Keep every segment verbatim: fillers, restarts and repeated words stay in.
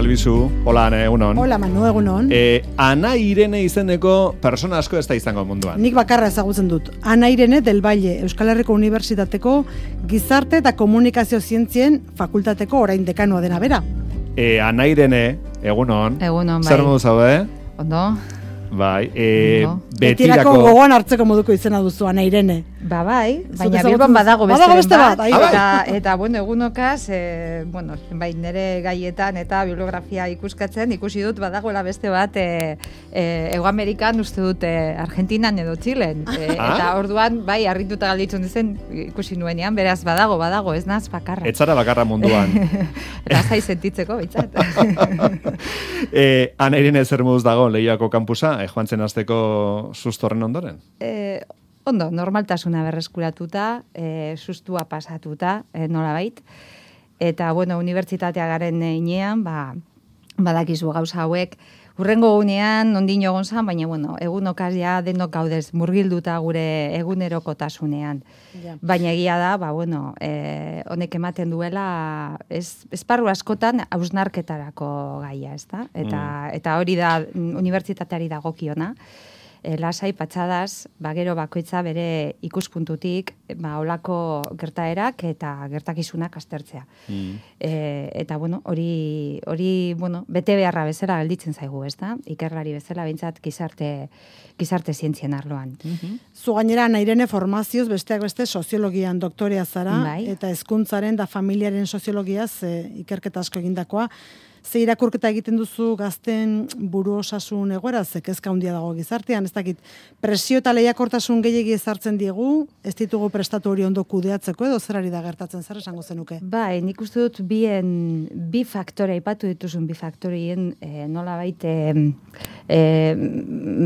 Albizu, hola Ane, egunon. Hola Manu, egunon. E, Ana Irene izeneko persona asko ez da izango munduan. Nik bakarra ezagutzen dut. Ana Irene del Valle, Euskal Herriko Unibertsitateko Gizarte eta Komunikazio Zientzien Fakultateko orain dekanoa dena bera. E, Ana Irene, egunon. Egunon, bai. Zer modu zaude? Ondo. Bai, e, Ondo. Betirako gogoan hartzeko moduko izena duzu, Ana Irene. Ba, bai, baina ezagutzen Bilbon badago duzu. beste Badago beste bat, bat, ahi, bai. eta, eta, bueno, egunokaz, e, bueno, bai, nire gaietan eta bibliografia ikuskatzen, ikusi dut badagoela beste bat, e, e, Ego Amerikan uste dut e, Argentinan edo Txilen, e, Ah? eta orduan, bai, harrituta galditzen dizen ikusi nuenean, beraz, badago, badago, ez naz bakarra. etzara bakarra munduan. Lasai sentitzeko, bitzat. e, Ana Irene zer moduz dago Leioako kampusa, e, joan zen azteko sustorren ondoren? E, ondo, normaltasuna berreskuratuta, e, sustua pasatuta, e, nolabait. Eta, bueno, unibertsitatea garen inean, ba, badakizu gauza hauek, urrengo gunean, ondin jogon zan, baina, bueno, egunokaz ja denok gaudez murgilduta gure egunerokotasunean. Ja. Baina egia da, ba, bueno, e, honek ematen duela, ez, esparru askotan hausnarketarako gaia, ezta? Eta, Mm. eta hori da unibertsitateari dagokiona. E, lasai patxadaz, ba, gero bakoitza bere ikuspuntutik, ba, olako gertaerak eta gertakizunak aztertzea. Mm. E, eta, bueno, hori, hori, bueno, bete beharra bezala gelditzen zaigu, ez da? Ikerlari bezala, bintzat, gizarte, gizarte zientzien arloan. Zu gainera, Ana Irene formazioz besteak beste soziologian doktorea zara, Bai. eta hezkuntzaren da familiaren soziologiaz e, ikerketa asko egindakoa. Ze irakurketa egiten duzu gazten buru osasun egoera, ze kezka handia dago gizartean, ez dakit, presio eta lehiakortasun gehiegi ezartzen diegu, ez ditugu prestatu hori ondo kudeatzeko edo zerari da gertatzen, zer esango zenuke? Bai, nik uste dut bien, bi faktore, aipatu dituzun bi faktorien e, nola baite e,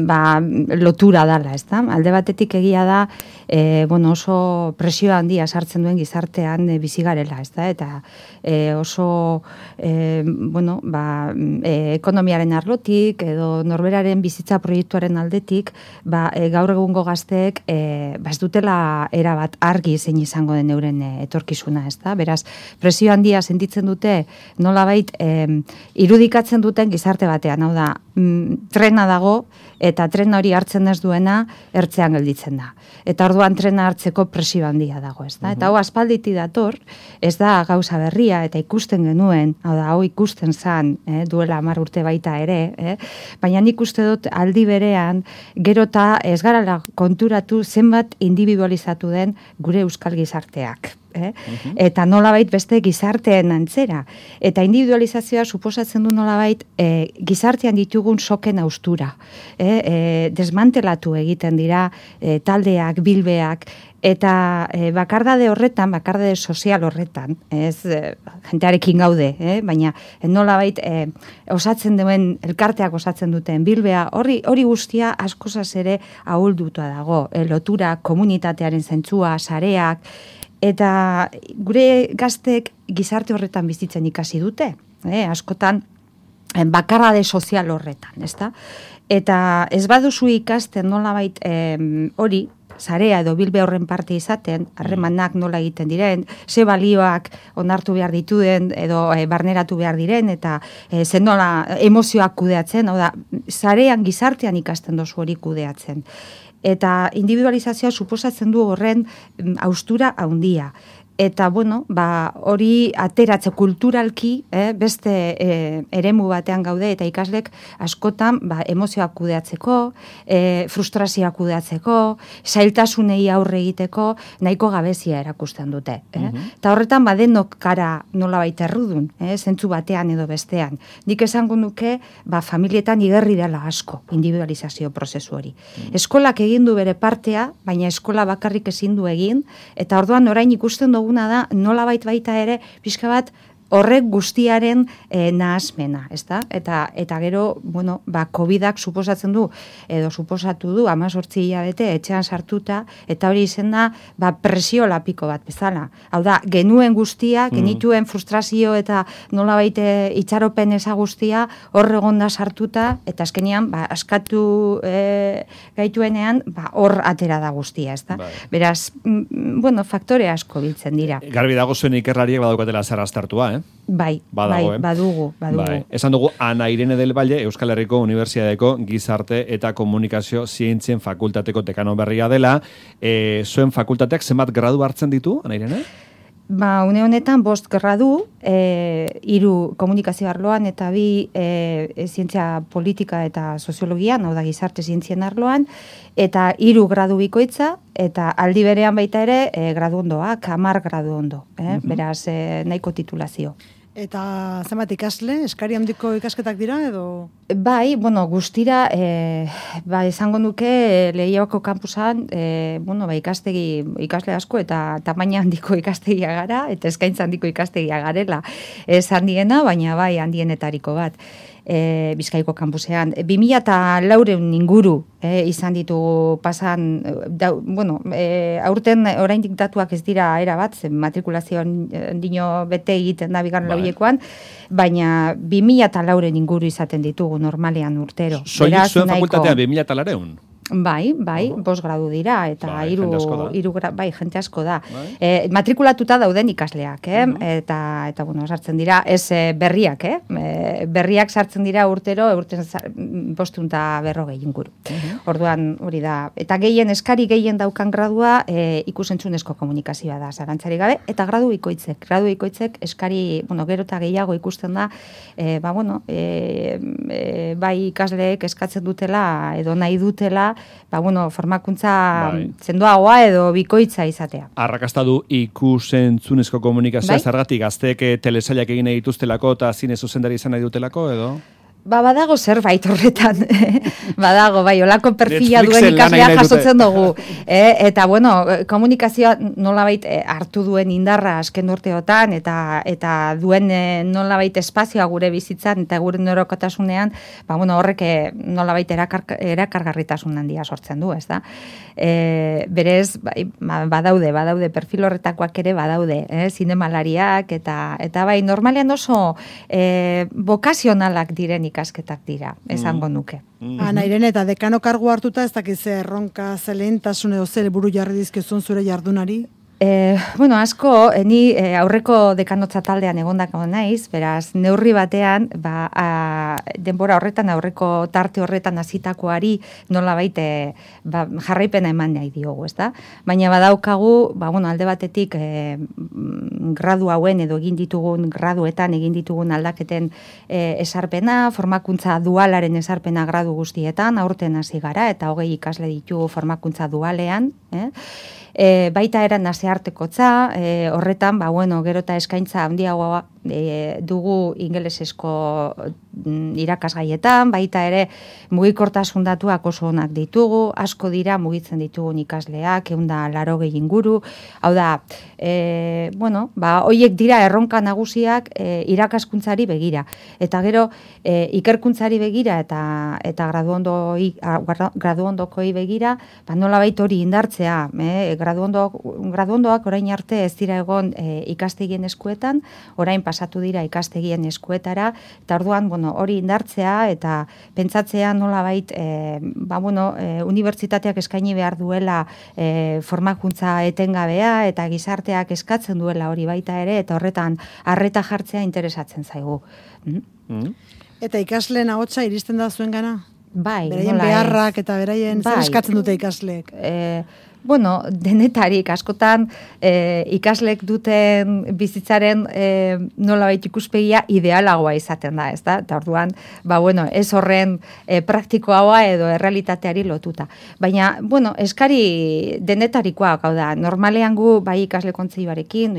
ba, lotura dala, ez da? Alde batetik egia da, e, bueno, oso presio handia sartzen duen gizartean e, bizigarela, ez da? Eta e, oso, e, bueno, ba, e, ekonomiaren arlotik edo norberaren bizitza proiektuaren aldetik, ba, e, gaur egungo gazteek e, ba, ez dutela erabat argi zein izango den euren e, etorkizuna, ez da? Beraz, presio handia sentitzen dute nolabait e, irudikatzen duten gizarte batean, hau da, mm, trena dago eta trena hori hartzen ez duena ertzean gelditzen da. Eta orduan trena hartzeko presio handia dago, ez da? Eta hau aspalditi dator, ez da gauza berria eta ikusten genuen, hau da, hau ikusten zan, eh, duela hamar urte baita ere, eh? Baina nik uste dut aldi berean, gero eta ez garala konturatu zenbat individualizatu den gure euskal gizarteak. Eh? Uh-huh. Eta nolabait beste gizarteen antzera. Eta individualizazioa suposatzen du nolabait e, gizartean ditugun soken austura. Eh? E, desmantelatu egiten dira e, taldeak, bilbeak, eta e, bakardade horretan, bakardade sozial horretan, ez e, jentearekin gaude, eh? Baina e, nolabait e, osatzen duen, elkarteak osatzen duten bilbea, hori hori guztia askozaz ere ahulduta dago. E, lotura, komunitatearen zentzua, sareak, eta gure gaztek gizarte horretan bizitzen ikasi dute, eh? Askotan bakarrade sozial horretan, ezta? Eta ez baduzu ikasten nolabait hori, sarea edo bilbe horren parte izaten, harremanak nola egiten diren, ze balioak onartu behar dituen edo e, barneratu behar diren, eta e, ze nola emozioak kudeatzen, hau da, sarean gizartean ikasten dozu hori kudeatzen. Eta individualizazioa suposatzen du horren haustura handia. Eta, bueno, ba, hori ateratze kulturalki, eh, beste eh, eremu batean gaude, eta ikaslek askotan ba, emozioak kudeatzeko, eh, frustrazioak kudeatzeko, zailtasunei aurre egiteko, nahiko gabezia erakusten dute. Eh? Uh-huh. Eta horretan, badenok kara nolabait errudun, eh, zentzu batean edo bestean. Nik esango nuke, ba, familietan igerri dela asko, individualizazio prozesu hori. Uh-huh. Eskolak egin du bere partea, baina eskola bakarrik ezin du egin, eta orduan orain ikusten dugu da, nolabait baita ere, pixka bat, horrek guztiaren e, nahasmena, ezta? Eta, eta gero, bueno, ba, covidak suposatzen du, edo suposatu du, hamazortzi hilabete etxean sartuta, eta hori izen da, ba, presio lapiko bat bezala. Hau da, genuen guztia, genituen frustrazio eta nolabait itxaropen eza guztia, hor egonda sartuta, eta azkenean, ba, askatu e, gaituenean, ba, hor atera da guztia, ezta? Bai. Beraz, m, bueno, faktore asko biltzen dira. Garbi dago zuen ikerlariek badaukatela zer aztertua, eh? Bai, Badago, bai, eh? badugu, badugu. Bai. Esan dugu, Ana Irene del Valle, Euskal Herriko Unibertsitateko Gizarte eta Komunikazio Zientzien Fakultateko dekano berria dela. E, zuen fakultateak zenbat gradu hartzen ditu, Ana Irene? Ba, une honetan bost gradu, e, hiru komunikazio arloan eta bi e, e, zientzia politika eta soziologian, hau da gizarte zientzien arloan, eta hiru gradu bikoitza, eta aldi berean baita ere e, gradu ondoak, hamar gradu ondo, eh? Uh-huh. Beraz, e, nahiko titulazio. Eta zenbat ikasle, eskari handiko ikasketak dira edo? Bai, bueno, guztira, e, ba, esango nuke Leioako kampusan, e, bueno, ba, ikastegi, ikasle asko eta tamaina handiko ikastegia gara, eta eskaintza handiko ikastegia garela. Ez handiena, baina bai handienetariko bat. E, Bizkaiko kampusean. bi mila eta laureun inguru e, izan ditugu pasan, da, bueno, e, aurten oraindik datuak ez dira era bat, zen matrikulazioan dino bete egiten da bigarren bai. Lauiekoan, baina bi mila eta laureun inguru izaten ditugu normalean urtero. Soilik zuen fakultatean bi mila eta laureun? Bai, bai, uh-huh. bost gradu dira, eta bai, hiru, jente asko da. hiru gra, bai, jente asko da. Bai. E, matrikulatuta dauden ikasleak, eh? Uh-huh. eta, eta, bueno, sartzen dira, ez e, berriak, eh? E, berriak sartzen dira urtero, urten bostunta berrogei inguru. Uh-huh. Orduan, hori da, eta gehien, eskari gehien daukan gradua, e, ikusentzunezko komunikazioa da, zarantzari gabe, eta gradu ikoitzek, gradu ikoitzek eskari, bueno, gero eta gehiago ikusten da, e, ba, bueno, e, e, bai ikasleek eskatzen dutela, edo nahi dutela, ba, bueno, formakuntza bai. Zendoagoa edo bikoitza izatea. Arrakasta du ikusentzunezko komunikazioa, bai? Zergatik gazteek telesailak egin nahi dituztelako eta zine zuzendari izan nahi dutelako, edo? Ba, badago zerbait horretan, badago, bai, olako perfila duen ikaslea jasotzen dugu. E, eta, bueno, komunikazioa nolabait hartu duen indarra azken urteotan, eta eta duen nolabait espazioa gure bizitzan, eta gure norokotasunean, ba, bueno, horrek nolabait erakar, erakargarritasun handia sortzen du, ez da? E, berez, bai, badaude, badaude, perfil horretakoak ere badaude, eh? Zinemalariak, eta, eta bai, normalean oso eh, bokazionalak diren ikasketak dira, esango nuke. Mm. Ana Irene, eta dekano kargu hartuta ez dakiz erronka zelentasun edo zer buru jarri dizkezun zure jardunari? E, bueno, asko, ni e, aurreko dekanotza taldean egondako naiz, beraz, neurri batean, ba, a, denbora horretan, aurreko tarte horretan hasitakoari nola baite ba, jarraipena eman nahi diogu, ez da? Baina badaukagu, ba, bueno, alde batetik e, gradu hauen edo egin ditugun, graduetan egin ditugun aldaketen e, esarpena, formakuntza dualaren esarpena gradu guztietan, aurten hasi gara, eta hogei ikasle ditugu formakuntza dualean, eh? E, baita eran naseartekotza, e, horretan, ba, bueno, gero eta eskaintza handiagoa e, dugu ingelesezko mm, irakasgaietan, baita ere mugikortasun datuak oso onak ditugu, asko dira mugitzen ditugun ikasleak, eunda laro gehi inguru, hau da, e, bueno, ba, hoiek dira erronka nagusiak e, irakaskuntzari begira, eta gero e, ikerkuntzari begira eta eta graduondoi, graduondokoi begira, ba, nolabait hori indartzea, eh? Graduondoak, graduondoak orain arte ez dira egon e, ikastegien eskuetan, orain pasatu dira ikastegien eskuetara, eta orduan, bueno, hori indartzea eta pentsatzea nolabait, e, ba, bueno, e, unibertsitateak eskaini behar duela e, formakuntza etengabea eta gizarteak eskatzen duela hori baita ere, eta horretan arreta jartzea interesatzen zaigu. Mm? Mm. Eta ikasleen ahotsa iristen da zuen gana? Bai, beraien beharrak eta beraien bai. Zer eskatzen dute ikasleek? E, bueno, denetarik askotan e, ikaslek duten bizitzaren e, nolabait ikuspegia idealagoa izaten da, ez da? Eta orduan, ba, bueno, ez horren e, praktikoa edo errealitateari lotuta. Baina, bueno, eskari denetarikoa, hau da, normalean gu bai ikasle kontseiluarekin,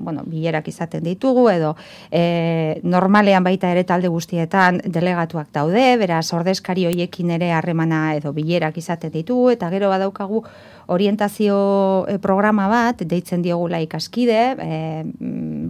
bueno, bilerak izaten ditugu, edo e, normalean baita ere talde guztietan delegatuak daude, beraz, ordezkari hoiekin ere harremana edo bilerak izaten ditugu, eta gero badaukagu orientazio programa bat, deitzen diogula ikaskide, e,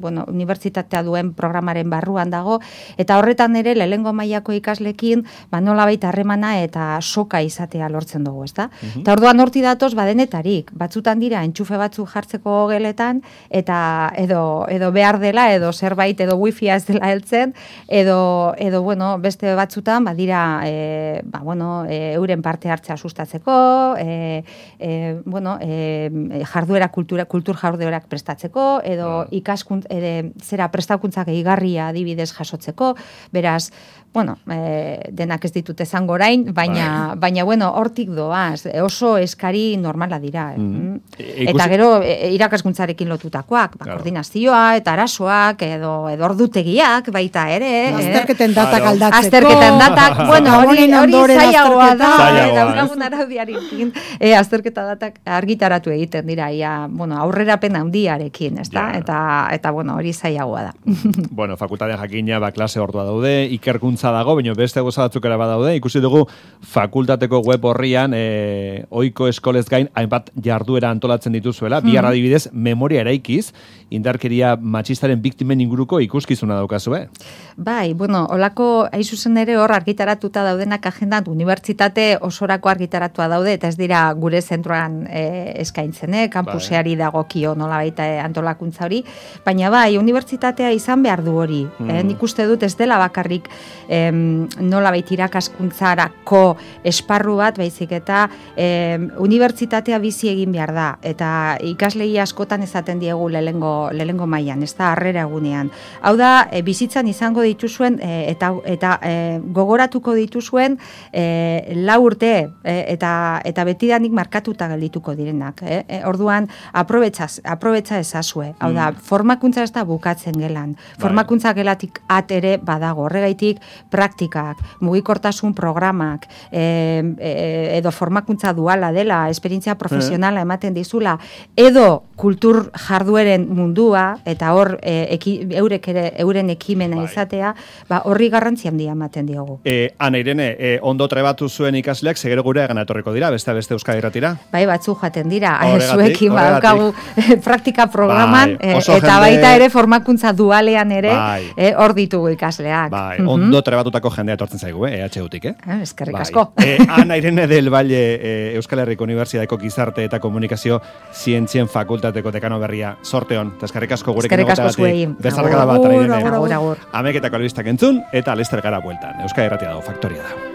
bueno, unibertsitatea duen programaren barruan dago, eta horretan ere lehengo mailako ikaslekin, ba, nolabait harremana eta soka izatea lortzen dugu, ezta? Uh-huh. Eta orduan horti datoz badenetarik, batzutan dira entxufe batzu jartzeko geletan, eta edo, edo behar dela, edo zerbait, edo wifia ez dela heltzen, edo, edo bueno, beste batzutan, badira, e, ba, bueno, e, euren parte hartzea sustatzeko, e, e, e, bueno, e, jarduera kultura, kultur jarduerak prestatzeko, edo ikaskunt, ere, zera prestakuntzak egigarria adibidez jasotzeko, beraz, bueno, e, denak ez ditut esango orain, baina, baina bueno, hortik doaz, oso eskari normala dira. Eh? Mm. E, eta gero, e, irakaskuntzarekin lotutakoak, ba, claro. Koordinazioa, eta arazoak, edo, edo ordutegiak, baita ere. Azterketen eh? datak aldatzeko. Azterketen datak, bueno, hori, hori zailagoa da, daukagun araudiarekin, e, azterketa datak argitaratu egiten dira, ia, bueno, aurrerapen handiarekin, ez da? Ja. Eta, eta, bueno, hori zailagoa da. Bueno, fakultatea jakina, ba, klase ordua daude, ikerkuntza dago, baina beste goza batzuk ere badaude. Ikusi dugu fakultateko web horrian e, ohiko eskolez gain hainbat jarduera antolatzen dituzuela. Hmm. Bihar adibidez, memoria eraikiz, indarkeria matxistaren biktimen inguruko ikuskizuna daukazue. Bai, bueno, olako aizuzen ere hor argitaratuta daudenak agendan unibertsitate osorako argitaratua daude, eta ez dira gure zentroan e, eskaintzen, eh? Kampuseari bai. Dagokio nola baita antolakuntza hori, baina bai, unibertsitatea izan behar du hori. Hmm. Eh? Nik uste dut ez dela bakarrik Em, nola baita irakaskuntzarako esparru bat, baizik eta em, unibertsitatea bizi egin behar da, eta ikaslei askotan esaten diegu lehengo, lehengo mailan, ez da harrera egunean. Hau da, e, bizitzan izango dituzuen, e, eta, eta e, gogoratuko dituzuen e, lau urte, e, eta, eta betidanik markatuta geldituko direnak. E? E, orduan, aprobetza ezazue. Hau da, mm. formakuntza ez da bukatzen gelan. Formakuntza gelatik at ere badago, horregaitik praktikak, mugikortasun programak, e, e, edo formakuntza duala dela, esperientzia profesionala ematen dizula, edo kultur jardueren mundua, eta hor e, eki, eurek ere, euren ekimena bai. Izatea, ba, horri garrantzi handia ematen diogu. E, Ana Irene, e, ondo trebatu zuen ikasleak, segero gure egan etorriko dira, beste beste Euskadi Irratira? Bai, batzu jaten dira, zuekin badaukagu praktika programan, bai, e, eta jende... baita ere formakuntza dualean ere, bai. e, hor ditugu ikasleak. Bai, mm-hmm. ondo trebatutako jendea etortzen zaigu, eh, E H U-tik, eh? Ah, eskerrik asko. Bai. E, Ana Irene del Valle, e, Euskal Herriko Unibertsitateko Gizarte eta Komunikazio Zientzien Fakultateko dekano berria, sorteon, eta eskerrik asko gurekin egoteagatik. Eskerrik asko zuei. Bezarkada bat, Ana Irene. Agur, agur, agur. Ameketako albistak entzun, eta lester gara bueltan. Euskadi Irratia dago, Faktoria da.